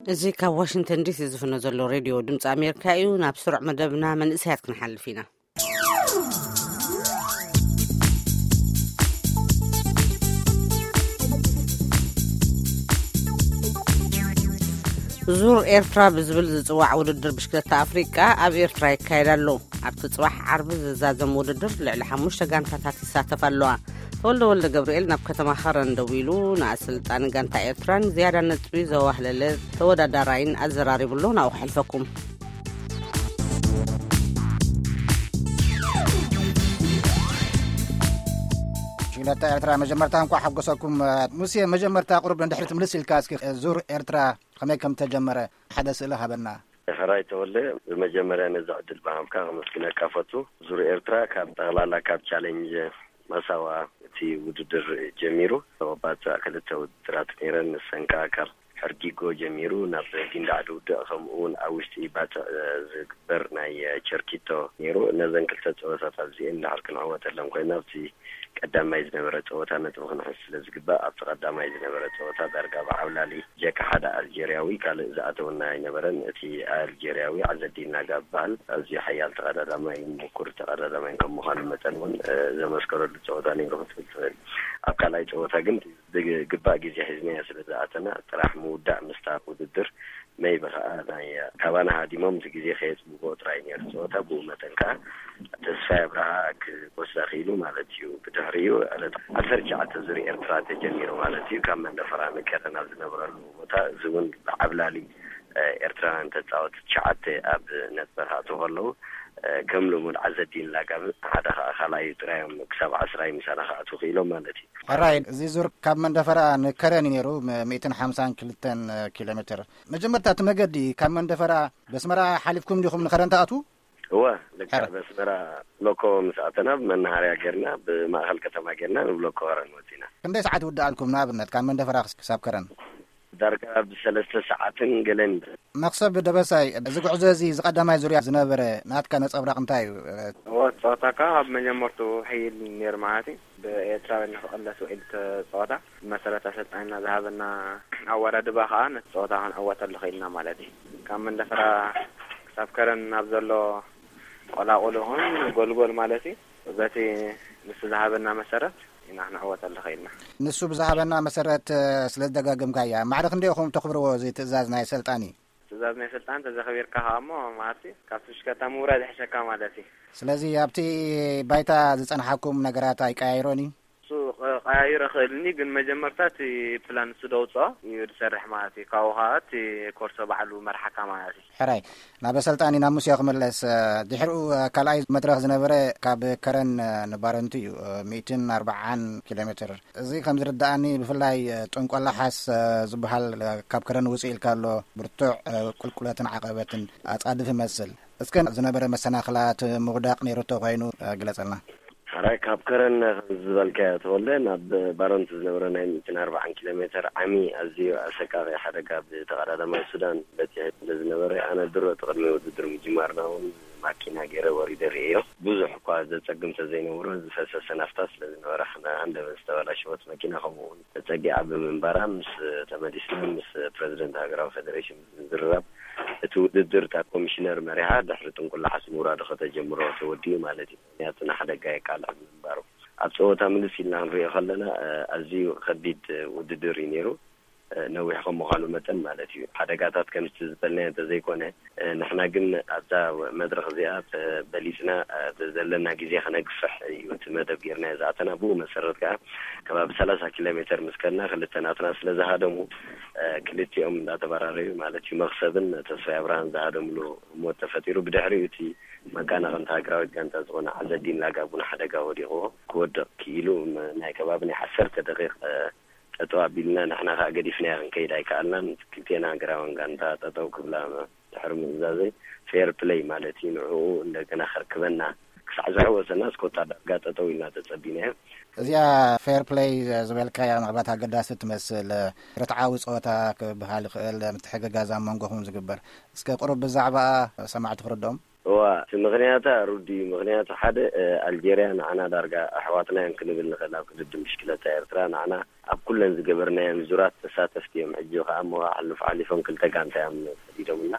እዚ ካብ ዋሽንግተን ዲሲ ዝፍኖ ዘሎ ሬድዮ ድምፂ ኣሜሪካ እዩ። ናብ ስሩዕ መደብና መንእሰያት ክንሓልፍ ኢና። ዙር ኤርትራ ብዝብል ዝጽዋዕ ውድድር ብሽክለታ ኣፍሪቃ ኣብ ኤርትራ ይካየድ ኣሎ። ኣብቲ ጽባሕ ዓርቢ ዝዛዘም ውድድር ልዕሊ ሓሙሽተ ጋንታታት ይሳተፋ ኣለዋ። ተወልደ ወልደ ገብርኤል ናብ ከተማ ኸረን ደዊሉ ንኣሰልጣኒ ጋንታ ኤርትራን ዝያዳ ነጥቢ ዘዋህለለ ተወዳዳራይን ኣዘራሪቡ ኣሎ። ናብኡ ክሕልፈኩም። ሽግለታ ኤርትራ መጀመርታ እንኳዕ ሓጎሰኩም። ሙሴ፣ መጀመርታ ቁሩብ ንድሕሪት ምልስ ኢልካ እስኪ ዙር ኤርትራ ከመይ ከም ተጀመረ ሓደ ስእሊ ሃበና። ሕራይ ተወልደ፣ ብመጀመርያ ነዚ ዕድል ብሃብካ ከመስግነካ ፈቱ። ዙር ኤርትራ ካብ ጠቕላላ ካብ ቻሌንጅ መሳዋ እቲ ውድድር ጀሚሩ፣ ባጽዕ ክልተ ውድድራት ነይረን። ንሰን ከኣ ካብ ሕርጊጎ ጀሚሩ ናብ ጊንዳዕ ድውድቕ፣ ከምኡ እውን ኣብ ውሽጢ ባጽዕ ዝግበር ናይ ቸርኪቶ ነይሩ። ነዘን ክልተ ጸወታት ኣብዚኤን ድሓር ክንዕወተለን ኮይና፣ ኣብቲ ቀዳማይ ዝነበረ ጸወታ ነጥቢ ክንሕዝ ስለ ዝግባእ፣ ኣብቲ ቀዳማይ ዝነበረ ጸወታ ዳርጋ ብዓብላሊ ጀካ ሓደ ኣልጀርያዊ ካልእ ዝኣተወና ኣይነበረን። እቲ ኣልጀርያዊ ዓዘዲን ላጋ ዝበሃል ኣዝዩ ሓያል ተቐዳዳማይ፣ ምኩር ተቐዳዳማይ ከም ምዃኑ መጠን እውን፣ እ፣ ዘመስከረሉ ጸወታ ነይሩ ክትብል ትኽእል። ኣብ ካልኣይ ጸወታ ግን ብግባእ ግዜ ሒዝናዮ ስለ ዝኣተና፣ ጥራሕ ምውዳእ ምስታ ውድድር መይቢ ከኣ ናይ ካባና ሃዲሞም እቲ ግዜ ከየጽብቦ ጥራይ ነይሩ ጸወታ። ብኡ መጠን ከኣ ተስፋይ ኣብርሃ ክወስዳ ክኢሉ ማለት እዩ። ብድሕሪኡ ዕለት ዓሰርተ ትሽዓተ ዙር ኤርትራ ተጀሚሩ ማለት እዩ። ካብ መንደፈራ ንከረን ኣብ ዝነበረሉ ቦታ፣ እዚ እውን ብዓብላሊ፣ እ፣ ኤርትራውያን ተጻወቲ ትሽዓተ ኣብ ነጥቢ ክኣትዉ ከለዉ፣ እ፣ ከም ልሙድ ዓዘዲን ላጋብ ሓደ ከኣ ካልኣዩ ጥራዮም ክሳብ ዓስራይ ምሳና ክኣትዉ ክኢሎም ማለት እዩ። ሕራይ፣ እዚ ዙር ካብ መንደፈራ ንከረን እዩ ነይሩ፣ ም-፣ ሚእትን ሓምሳን ክልተን ኪሎ ሜትር። መጀመርታ እቲ መገዲ ካብ መንደፈራ በስመራ ሓሊፍኩም ዲኹም ንከረን ትኣትዉ? እወ፣ ልክዕ። ሕራይ። በስመራ ብሎኮ ምስ ኣተና፣ ብመናሃርያ ጌርና፣ ብማእኸል ከተማ ጌርና ንብሎኮ ከረን ወጺና። ክንደይ ሰዓት ይውድኣልኩም ንኣብነት ካብ መንደፈራ ክስ-፣ ክሳብ ከረን? ዳርጋ ብሰለስተ ሰዓትን ገለን። መኽሰብ ደበሳይ፣ እዚ ጉዕዞ እዚ፣ እዚ ቀዳማይ ዙርያ ዝነበረ ናትካ ነጸብራቕ እንታይ እዩ? እወ፣ ጸወታ ካብ መጀመርቱ ሕይል ነይሩ ማለት እዩ። ብኤርትራውያን ንኽቕለስ ውዒል እቲ ጸወታ። ብመሰረት ኣሰልጣኒና ዝሃበና ኣወዳድባ ከኣ ነቲ ጸወታ ክንዕወተሉ ኽኢልና ማለት እዩ። ካብ መንደፈራ ክሳብ ከረን ኣብ ዘሎ ቆላቑል ይኹን ጎልጎል ማለት እዩ፣ በቲ ንሱ ዝሃበና መሰረት ኢና ክንዕወተሉ ኽኢልና። ንሱ ብዝሃበና መሰረት፣ እ፣ ስለ ዝደጋገምካያ፣ ማዕረ ክንደይ ኢኹም ተኽብርዎ እዚ ትእዛዝ ናይ ሰልጣኒ? ትእዛዝ ናይ ሰልጣን ተዘኽቢርካ ከኣ እሞ፣ ማለት እዩ፣ ካብቲ ብሽከታ ምውራድ ይሕሸካ ማለት እዩ። ስለዚ ኣብቲ ባይታ ዝጸንሓኩም ነገራት ኣይቀያይሮን እዩ? እሱ ቀ-፣ ቀያይሮ ክእልኒ፣ ግን መጀመርታ እቲ ፕላን እሱ ደውፅኦ እዩ ዝሰርሕ ማለት እዩ። ካብኡ ከዓ እቲ ኮርሶ ባዕሉ መርሓካ ማለት እዩ። ሕራይ፣ ናብ ኣሰልጣኒ ናብ ሙሴ ክምለስ። ድሕሪኡ ካልኣይ መድረኽ ዝነበረ ካብ ከረን ንባረንቱ እዩ፣ ሚእትን ኣርባዓን ኪሎ ሜትር። እዚ ከም ዝርድኣኒ ብፍላይ ጥንቆላሓስ ዝበሃል ካብ ከረን ውፅእ ኢልካ ኣሎ፣ ብርቱዕ ቁልቁለትን ዓቐበትን ኣፃድፍ ይመስል። እስከ ዝነበረ መሰናኽላት ምውዳቕ ነይሩ ተኾይኑ ግለፀልና። ሕራይ፣ ካብ ከረን ከም ዝበልካዮ ተወልደ ናብ ባረንቱ ዝነበረ ናይ ሚእትን ኣርባዓን ኪሎ ሜትር ዓሚ ኣዝዩ ኣሰቃቂ ሓደጋ ብተቐዳዳማይ ሱዳን በፂሑ ስለ ዝነበረ፣ ኣነ ድሮ እቲ ቅድሚ ውድድር ምጅማርና እውን ማኪና ገይረ ወሪደ ርእዮ። ብዙሕ እኳ ዘፀግም ተዘይነበሮ፣ ዝፈሰሰ ናፍታ ስለ ዝነበረ፣ ሓንደበት ዝተበላሸወት መኪና ከምኡ እውን ተፀጊዓ ብምንባራ፣ ምስ ተመሊስና ምስ ፕረዚደንት ሃገራዊ ፌደሬሽን ብምዝርራብ፣ እቲ ውድድር እታ ኮሚሽነር መሪሓ ድሕሪ ጥንቁላሓስ ምውራዱ ከተጀምሮ ተወዲኡ ማለት እዩ። ምክንያቱ ንሓደጋ የቃልዕ ብምንባሩ። ኣብ ፀወታ ምልስ ኢልና ክንሪኦ ከለና፣ እ፣ ኣዝዩ ከቢድ ውድድር እዩ ነይሩ። እ፣ ነዊሕ ከም ምዃኑ መጠን ማለት እዩ። ሓደጋታት ከምቲ ዝበልናዮ እንተዘይኮነ፣ እ፣ ንሕና ግን ኣብዛ መድረኽ እዚኣ ተበሊጽና፣ እ፣ ዘለና ግዜ ከነግፍሕ እዩ እቲ መደብ ጌርናዮ ዝኣተና። ብኡ መሰረት ከኣ ከባቢ ሰላሳ ኪሎ ሜተር ምስ ከድና ክልተ ናትና ስለ ዝሃደሙ፣ እ፣ ክልቲኦም እንዳተበራረዩ ማለት እዩ፣ መኽሰብን ተስፋይ ኣብርሃን ዝሃደምሉ ሞት ተፈጢሩ። ብድሕሪኡ እቲ መቀናቕንታ ሃገራዊት ጋንታ ዝኾነ ዓዘዲን ላጋብ እውን ሓደጋ ወዲቕዎ ክወድቕ ክኢሉ፣ ም-፣ ናይ ከባቢ ናይ ዓሰርተ ደቂቕ፣ እ፣ ጠጠው ኣቢልና፣ ንሕና ከኣ ገዲፍናዮ ክንከይድ ኣይከኣልናን። ክልቴና ሃገራውያን ጋንታ ጠጠው ክብላ ድሕሪ ምእዛዘይ፣ ፌር ፕለይ ማለት እዩ፣ ንዕኡ እንደገና ከርክበና ክሳዕ ዝሕወሰና፣ እስከ ወታደር ጋር ጠጠው ኢልና ተጸቢናዮ። እዚኣ ፌር ፕለይ ዝበልካያ ምናልባት ኣገዳሲ ትመስል። ርትዓዊ ጸወታ ክበሃል ይኽእል፣ ምትሕግጋዝ ኣብ መንጎኹም ዝግበር። እስከ ቁሩብ ብዛዕባኣ ሰማዕቲ ክርድኦም። እዋ፣ እቲ ምኽንያታ ሩዲ እዩ። ምኽንያቱ ሓደ፣ እ፣ ኣልጀርያ ንዓና ዳርጋ ኣሕዋትና እዮም ክንብል ንኽእል። ኣብ ቅድድም ብሽክለታ ኤርትራ ንዓና ኣብ ኩለን ዝገበርናየን ዙራት ተሳተፍቲ እዮም። ሕጂ ከኣ እሞ ኣሕልፍ ሓሊፎም ክልተ ጋንታ እዮም ሰዲዶምና።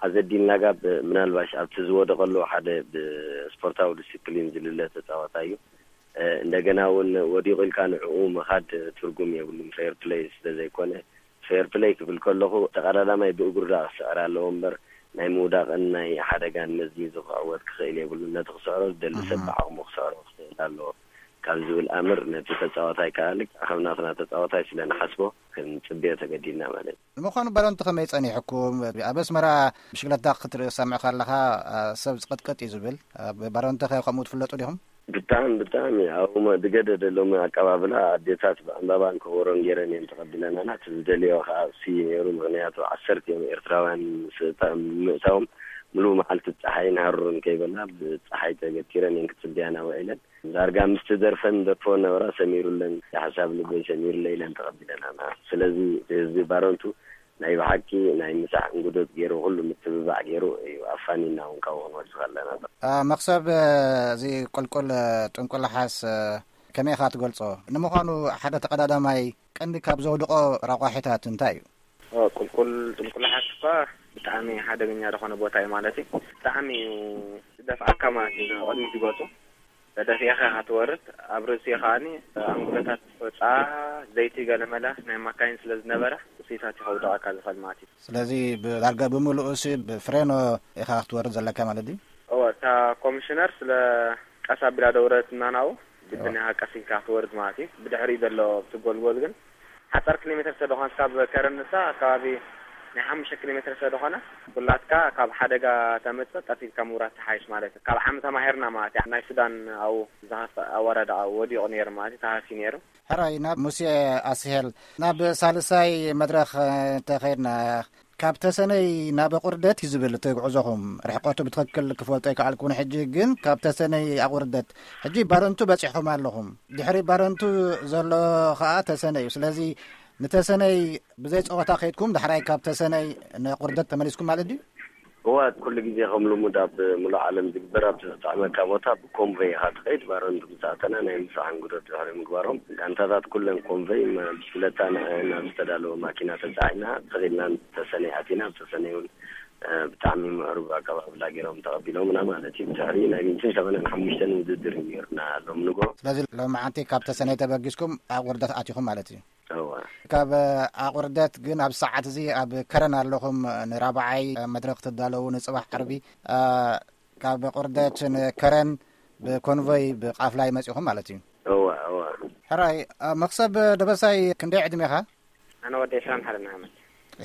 ኣዘዲን ላጋ ብ-፣ ምናልባሽ ኣብቲ ዝወደቐሉ ሓደ ብስፖርታዊ ዲስፕሊን ዝልለ ተጻዋታይ እዩ። እ፣ እንደገና እውን ወዲቑ ኢልካ ንዕኡ ምኻድ ትርጉም የብሉን፣ ፌር ፕለይ ስለ ዘይኮነ። ፌር ፕለይ ክብል ከለኹ ተቐዳዳማይ ብእግሩ ዳ ክስዕር ኣለዎ እምበር ናይ ምውዳቕን ናይ ሓደጋን መዝሚዙ ክዕወት ክኽእል የብሉን። ነቲ ክስዕሮ ዝደሊ ሰብ ብዓቕሙ ክስዕሮ ክኽእል ኣለዎ ካብ ዝብል ኣምር ነቲ ተጻዋታይ ከኣ ልክዕ ከም ናትና ተጻዋታይ ስለ ንሓስቦ ክንጽበዮ ተገዲድና ማለት እዩ። ንምዃኑ ባሮንቲ ከመይ ጸኒሕኩም? ኣብ ኣስመራ ብሽክለታ ክትርኢ ክሰምዕ ከለኻ፣ አ፣ ሰብ ዝቕጥቅጥ እዩ ዝብል። ኣብ ባሮንቲ ከ ከምኡ ትፍለጡ ዲኹም? ብጣዕሚ፣ ብጣዕሚ። ኣብኡ መ-፣ ዝገደደ ሎሚ ኣቀባብላ ኣዴታት ብዕምባባን ከበሮን ገይረን እየን ተቐቢለናና። እቲ ዝደልዮ ከኣ እሱ እዩ ነይሩ። ምኽንያቱ ዓሰርተ እዮም ኤርትራውያን ምስ እታ-፣ ምእታዎም ምሉእ መዓልቲ ጸሓይን ሃሩርን ከይበላ ብጸሓይ ተገቲረን እየን ክጽበያና ውዒለን። ዳርጋ ምስቲ ደርፈን ደርፎ ነበራ ሰሚሩለን፣ ሓሳብ ልበይ ሰሚሩለይ ኢለን ተቐቢለናና። ስለዚ ህዝቢ ባረንቱ ናይ ብሓቂ ናይ ምሳሕ እንጉዶት ገይሩ፣ ኩሉ ምትብባዕ ገይሩ እዩ ኣፋኒና እውን ካብኡ ክንወጽእ ከለና። አ፣ መኽሰብ፣ እ፣ እዚ ቁልቁል፣ እ፣ ጥንቁላሓስ፣ እ፣ ከመይ ኢኻ ትገልጾ? ንምዃኑ ሓደ ተቐዳዳማይ ቀንዲ ካብ ዘውድቖ ረቋሒታት እንታይ እዩ? ኦ፣ ቁልቁል ጥንቁላሓስ እኳ ብጣዕሚ ሓደገኛ ዝኾነ ቦታ እዩ ማለት እዩ። ብጣዕሚ እዩ ዝደፍኣካ ማለት እዩ፣ ንቕድሚት ዝጎቱ። ተደፊእኻ ኢኻ ትወርድ። ኣብ ርእሲ ከኣኒ ኣንጉሎታት ፎጻ፣ ዘይቲ ገለመለ ናይ ማካይን ስለ ዝነበረ፣ እሱይታት እዩ ከውድቐካ ዝኽእል ማለት እዩ። ስለዚ ብዳርጋ ብምሉኡ ሲ ብፍሬኖ ኢኻ ክትወርድ ዘለካ ማለት ድዩ? እወ፣ እታ ኮሚሽነር ስለ ቀስ ኣቢላ ደውረትና ናብኡ፣ ግድን እወ። ኢኻ ቀስ ኢልካ ክትወርድ ማለት እዩ። ብድሕሪኡ ዘሎ እቲ ጎልጎል ግን ሓጻር ኪሎ ሜትር ስለ ዝኾነት ካብ ከረን ንሳ ኣከባቢ ናይ ሓሙሽተ ኪሎ ሜትር ስለ ዝኾነ፣ ኩላትካ ካብ ሓደጋ ተምጽእ ቀስ ኢልካ ምውራድ ትሓይሽ ማለት እዩ። ካብ ዓሚ ተማሂርና ማለት እዩ። ናይ ሱዳን ኣብኡ ዝኸፍእ ኣወዳድቓ ወዲቑ ነይሩ ማለት እዩ፣ ተሃስዩ ነይሩ። ሕራይ፣ ናብ ሙሴ ኣስሄል፣ ናብ ሳልሳይ መድረኽ፣ እ፣ እንተኸይድና፣ ካብ ተሰነይ ናብ ኣቑርደት እዩ ዝብል እቲ ጉዕዞኹም። ርሕቀቱ ብትኽክል ክፈልጦ ኣይከኣልኩን። ሕጂ ግን ካብ ተሰነይ ኣቑርደት፣ ሕጂ ባረንቱ በጺሕኩም ኣለኹም። ድሕሪ ባረንቱ ዘሎ ኸኣ ተሰነይ እዩ። ስለዚ ንተሰነይ ብዘይ ጸወታ ከይድኩም፣ ዳሕራይ ካብ ተሰነይ ንኣቑርደት ተመሊስኩም ማለት ድዩ? እዋ፣ ኩሉ ግዜ ከም ልሙድ ኣብ ምሉእ ዓለም ዝግበር፣ ኣብ ዘጥዕመካ ቦታ ብኮንቮይ ኢኻ ትኸይድ። ባረንቱ ምስ ኣተና ናይ ምሳሕ እንግዶት ድሕሪ ምግባሮም፣ ጋንታታት ኩለን ኮንቮይ መ-፣ ብሽክለታ ንዕአን ኣብ ዝተዳለወ ማኪና ተጻዒና ተኺድና ተሰነይ ኣቲና። ኣብ ተሰነይ እውን፣ እ፣ ብጣዕሚ ምዕሩግ ኣቀባብላ ገይሮም ተቐቢሎምና ማለት እዩ። ድሕሪ ናይ ሚእትን ሰማንያን ሓሙሽተን ውድድር እዩ ነይሩና ሎም ንጎ። ስለዚ ሎም መዓንቲ ካብ ተሰነይ ተበጊስኩም ኣብ ወርደት ኣቲኹም ማለት እዩ? እወ። ካብ ኣቑርደት ግን ኣብ ሰዓት እዚ ኣብ ከረን ኣለኹም፣ ንራብዓይ መድረኽ ትዳለዉ ንጽባሕ ዓርቢ። እ፣ ካብ ኣቑርደት ንከረን ብኮንቮይ ብቃፍላይ መጺኹም ማለት እዩ? እወ፣ እወ። ሕራይ፣ እ፣ መኽሰብ ደበሳይ ክንደይ ዕድሜኻ? ኣነ ወዲ ዕስራን ሓደን ዓመት።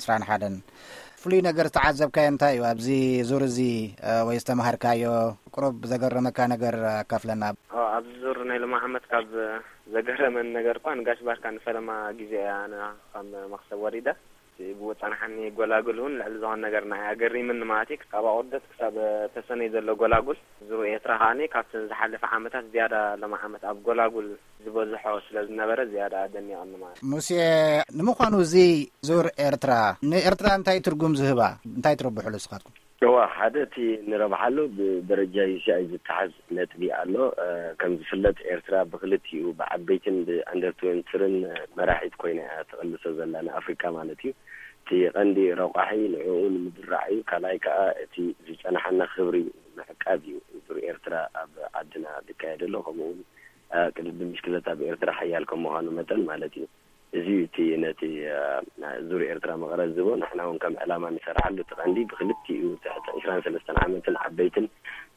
ዕስራን ሓደን። ፍሉይ ነገር ዝተዓዘብካዮ እንታይ እዩ ኣብዚ ዙር እዚ፣ እ፣ ወይ ዝተማሃርካዮ? ቁሩብ ዘገረመካ ነገር ኣካፍለና። ኦ፣ ኣብዚ ዙር ናይ ሎሚ ዓመት ካብ ዘገረመን ነገር እኳ ንጋሽ ባርካ ንፈለማ ግዜ እያ ኣነ ከም መኽሰብ ወሪደ። እቲ ብኡ ጸናሓኒ ጎላጉል እውን ልዕሊ ዝኾነ ነገር ንዓይ ኣገሪምኒ ማለት እዩ። ካብ ኣቑርደት ክሳብ ተሰነይ ዘሎ ጎላጉል። ዙር ኤርትራ ከኣኒ ካብተን ዝሓለፈ ዓመታት ዝያዳ ሎም ዓመት ኣብ ጎላጉል ዝበዝሖ ስለ ዝነበረ ዝያዳ ኣደኒቐኒ ማለት እዩ። ሙሴ፣ ንምዃኑ እዚ ዙር ኤርትራ ንኤርትራ እንታይ ትርጉም ዝህባ? እንታይ ትረብሕሉ ንስኻትኩም? እዋ፣ ሓደ እቲ ንረብሓሉ ብደረጃ ዩ ሲ ኣይ ዝተሓዝ ነጥቢ ኣሎ። እ፣ ከም ዝፍለጥ ኤርትራ ብክልቲኡ ብዓበይትን ብኣንደር ትዌንቲን መራሒት ኮይና እያ ትቕልሶ ዘላ ንኣፍሪካ ማለት እዩ። እቲ ቀንዲ ረቋሒ ንዕኡ ንምድራዕ እዩ። ካልኣይ ከዓ እቲ ዝጸናሓና ክብሪ ምዕቃብ እዩ። ዙር ኤርትራ ኣብ ዓድና ዝካየድ ኣሎ። ከምኡ እውን፣ እ፣ ቅድድም ብሽክለታ ኣብ ኤርትራ ሓያል ከም ምዃኑ መጠን ማለት እዩ። እዚ እዩ እቲ ነቲ፣ እ፣ ዙር ኤርትራ መቐረት ዝህቦ። ንሕና እውን ከም ዕላማ ንሰርሓሉ እቲ ቀንዲ ብክልቲኡ ትሕቲ ዕስራን ሰለስተን ዓመትን ዓበይትን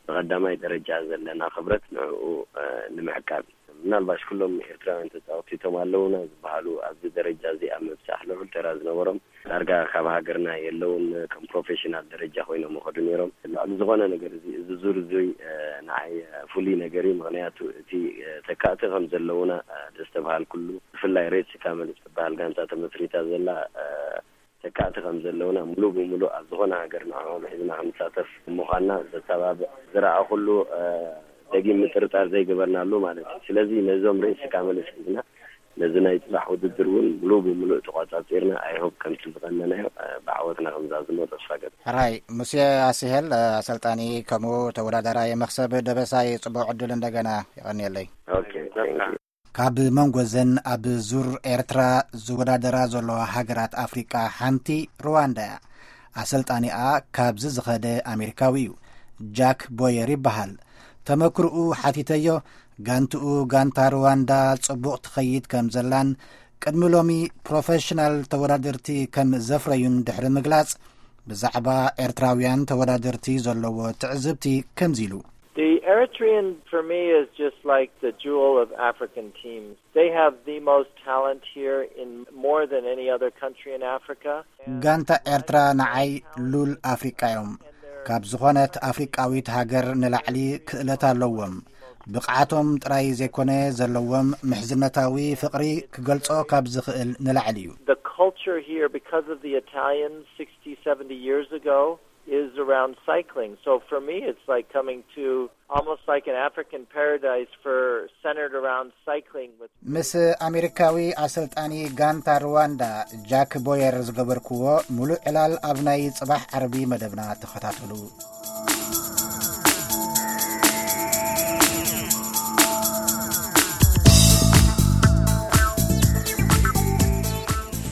ብቐዳማይ ደረጃ ዘለና ክብረት ንዕኡ፣ እ፣ ንምዕቃብ እዩ። ምናልባሽ ኩሎም ኤርትራውያን ተጻወትቲ እቶም ኣለውና ዝበሃሉ ኣብዚ ደረጃ እዚ ኣብ ምብጻሕ ልዑል ተራ ዝነበሮም ዳርጋ ካብ ሃገርና የለውን። ከም ፕሮፌሽናል ደረጃ ኮይኖም ይኸዱ ነይሮም። ልዕሊ ዝኾነ ነገር እዚ፣ እዚ ዙር እዚ፣ እ፣ ንዓይ፣ እ፣ ፍሉይ ነገር እዩ። ምኽንያቱ እቲ፣ እ፣ ተካእቲ ከም ዘለውና፣ እ፣ ዘስተብሃልኩሉ፣ ብፍላይ ሬድ ሲካመል እትበሃል ጋንታ ተመስሪታ ዘላ፣ እ፣ ተካእቲ ከም ዘለውና፣ ሙሉእ ብሙሉእ ኣብ ዝኾነ ሃገር ንዕኦም ሒዝና ክንሳተፍ ምዃንና ዘተባብዕ ዝረኣኹሉ፣ እ፣ ደጊም ምጥርጣር ዘይገበርናሉ ማለት እዩ። ስለዚ ነዞም ሬድ ሲካመልስ ሒዝና ነዚ ናይ ጽባሕ ውድድር እውን ሙሉእ ብሙሉእ ተቋጻጺርና፣ I hope ከምቲ ዝቐነናዮ ብዓወትና ከምዛዝሞ ተስፋ ገብ ሕራይ ሙሴ ኣስሄል ኣሰልጣኒ ከምኡ ተወዳዳራይ መክሰብ ደበሳይ ጽቡቕ ዕድል እንደገና። ይቐንየለይ። Okay, thank you. ካብ መንጎ ዘን ኣብ ዙር ኤርትራ ዝወዳደራ ዘለዋ ሃገራት ኣፍሪቃ ሓንቲ ሩዋንዳ እያ። ኣሰልጣኒኣ ካብዚ ዝኸደ ኣሜሪካዊ እዩ። ጃክ ቦየር ይበሃል። ተመክርኡ ሓቲተዮ። ጋንትኡ ጋንታ ሩዋንዳ ጽቡቕ ትኸይድ ከም ዘላን ቅድሚ ሎሚ ፕሮፌሽናል ተወዳደርቲ ከም ዘፍረዩን ድሕሪ ምግላጽ፣ ብዛዕባ ኤርትራውያን ተወዳደርቲ ዘለዎ ትዕዝብቲ ከምዚ ኢሉ። The Eritrean, for me, is just like the jewel of African teams. They have the most talent here in more than any other country in Africa. ጋንታ ኤርትራ ንዓይ ሉል ኣፍሪቃ እዮም። ካብ ዝኾነት ኣፍሪቃዊት ሃገር ንላዕሊ ክእለት ኣለዎም። ብቕዓቶም ጥራይ ዘይኮነ ዘለዎም ምሕዝነታዊ ፍቕሪ ክገልጾ ካብ ዝኽእል ንላዕሊ እዩ። The culture here, because of the Italians sixty, seventy years ago, is around cycling. So for me, it's like coming to almost like an African paradise for centered around cycling with ምስ ኣሜሪካዊ ኣሰልጣኒ ጋንታ ሩዋንዳ ጃክ ቦየር ዝገበርክዎ ሙሉእ ዕላል ኣብ ናይ ጽባሕ ዓርቢ መደብና ተኸታተሉ።